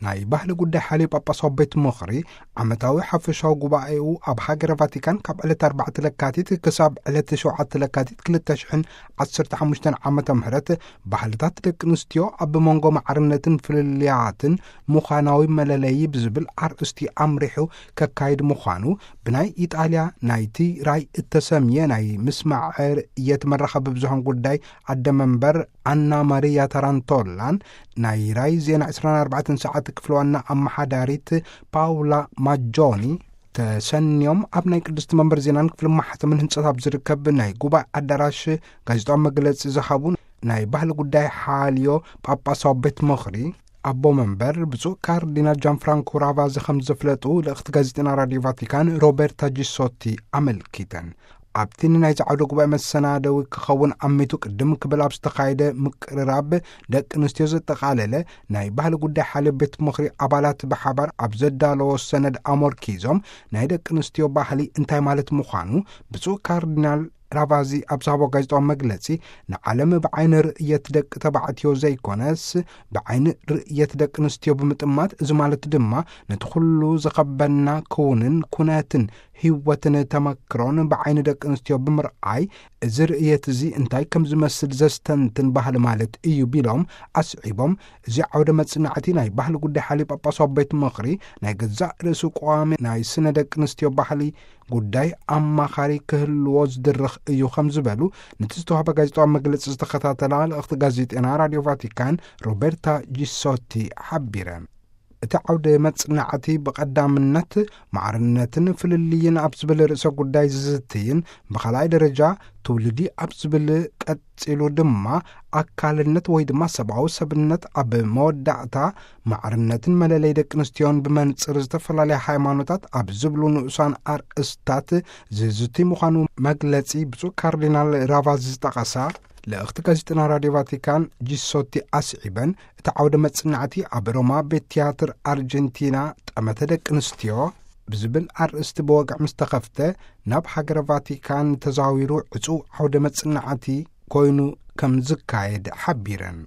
ናይ ባህሊ ጉዳይ ሓልዮ ጳጳሳዊ ቤት ምኽሪ ዓመታዊ ሓፈሻዊ ጉባኤኡ ኣብ ሃገረ ቫቲካን ካብ ዕለት ኣርባዕተ ለካቲት ክሳብ ዕለት ሸውዓተ ለካቲት ክልተ ሽሕን ዓሰርተ ሓሙሽተን ዓመተ ምህረት ባህልታት ደቂ ኣንስትዮ ኣብ መንጎ ማዕርነትን ፍልልያትን ምዃናዊ መለለዪ ብዝብል ኣርእስቲ ኣምሪሑ ከካይድ ምዃኑ ብናይ ኢጣልያ ናይቲ ራይ እተሰምየ ናይ ምስማዕ ርእየት መራኸቢ ብዙሃን ጉዳይ ኣደ መንበር ኣና ማሪያ ታራንቶላን ናይ ራይ ዜና ዕስራን ኣርባዕተን ሰዓት ክፍሊ ዋና ኣመሓዳሪት ፓውላ ማጆኒ ተሰንዮም ኣብ ናይ ቅድስቲ መንበር ዜናን ክፍሊ ማሕተምን ህንጸት ኣብ ዝርከብ ናይ ጉባኤ ኣዳራሽ ጋዜጣዊ መግለጺ ዝሃቡ ናይ ባህሊ ጉዳይ ሓልዮ ጳጳሳዊ ቤት ምኽሪ ኣቦ መንበር ብፁዕ ካርዲናል ጃን ፍራንኮ ራቫዚ ከም ዘፍለጡ ልእኽቲ ጋዜጠና ራዲዮ ቫቲካን ሮቤርታ ጂሶቲ ኣመልኪተን። ኣብቲ ንናይዚ ዓውደ ጉባኤ መሰናደዊ ክኸውን ኣሚቱ ቅድም ክብል ኣብ ዝተኻየደ ምቅርራብ ደቂ ኣንስትዮ ዘጠቓለለ ናይ ባህሊ ጉዳይ ሓልዮ ቤት ምኽሪ ኣባላት ብሓባር ኣብ ዘዳለዎ ሰነድ ኣመርኪዞም ናይ ደቂ ኣንስትዮ ባህሊ እንታይ ማለት ምዃኑ ብፁዕ ካርዲናል ራቫዚ ኣብ ዝሃቦ ጋዜጣዊ መግለጺ ንዓለም ብዓይኒ ርእየት ደቂ ተባዕትዮ ዘይኮነስ ብዓይኒ ርእየት ደቂ ኣንስትዮ ብምጥማት እዚ ማለት ድማ ነቲ ኩሉ ዘኸበና ክውንን ኩነትን ህይወትን ተመክሮን ብዓይኒ ደቂ ኣንስትዮ ብምርኣይ እዚ ርእየት እዚ እንታይ ከም ዝመስል ዘስተንትን ባህሊ ማለት እዩ ቢሎም ኣስዒቦም እዚ ዓውደ መጽናዕቲ ናይ ባህሊ ጉዳይ ሓልዮ ጳጳሳዊ ቤት ምኽሪ ናይ ገዛእ ርእሱ ቀዋሚ ናይ ስነ ደቂ ኣንስትዮ ባህሊ ጉዳይ ኣማኻሪ ክህልዎ ዝድርኽ እዩ ከም ዝበሉ ነቲ ዝተዋህበ ጋዜጣዊ መግለጺ ዝተኸታተላ ልእኽቲ ጋዜጠና ራዲዮ ቫቲካን ሮቤርታ ጂሶቲ ሓቢረን። እቲ ዓውደ መጽናዕቲ ብቐዳምነት ማዕርነትን ፍልልይን ኣብ ዝብል ርእሰ ጉዳይ ዝዝትይን ብኻልኣይ ደረጃ ትውልዲ ኣብ ዝብል ቀጺሉ ድማ ኣካልነት ወይ ድማ ሰብኣዊ ሰብነት ኣብ መወዳእታ ማዕርነትን መለለይ ደቂ ኣንስትዮን ብመንጽር ዝተፈላለያ ሃይማኖታት ኣብ ዝብሉ ንኡሳን ኣርእስታት ዝዝትይ ምዃኑ መግለጺ ብፁዕ ካርዲናል ራቫዚ ዝጠቐሳ ልእኽቲ ጋዜጠና ራዲዮ ቫቲካን ጂሶቲ ኣስዒበን እቲ ዓውደ መጽናዕቲ ኣብ ሮማ ቤት ትያትር ኣርጀንቲና ጠመተ ደቂ ኣንስትዮ ብዝብል ኣርእስቲ ብወግዒ ምስ ተኸፍተ ናብ ሃገረ ቫቲካን ተዛዊሩ ዕጹው ዓውደ መጽናዕቲ ኮይኑ ከም ዝካየድ ሓቢረን።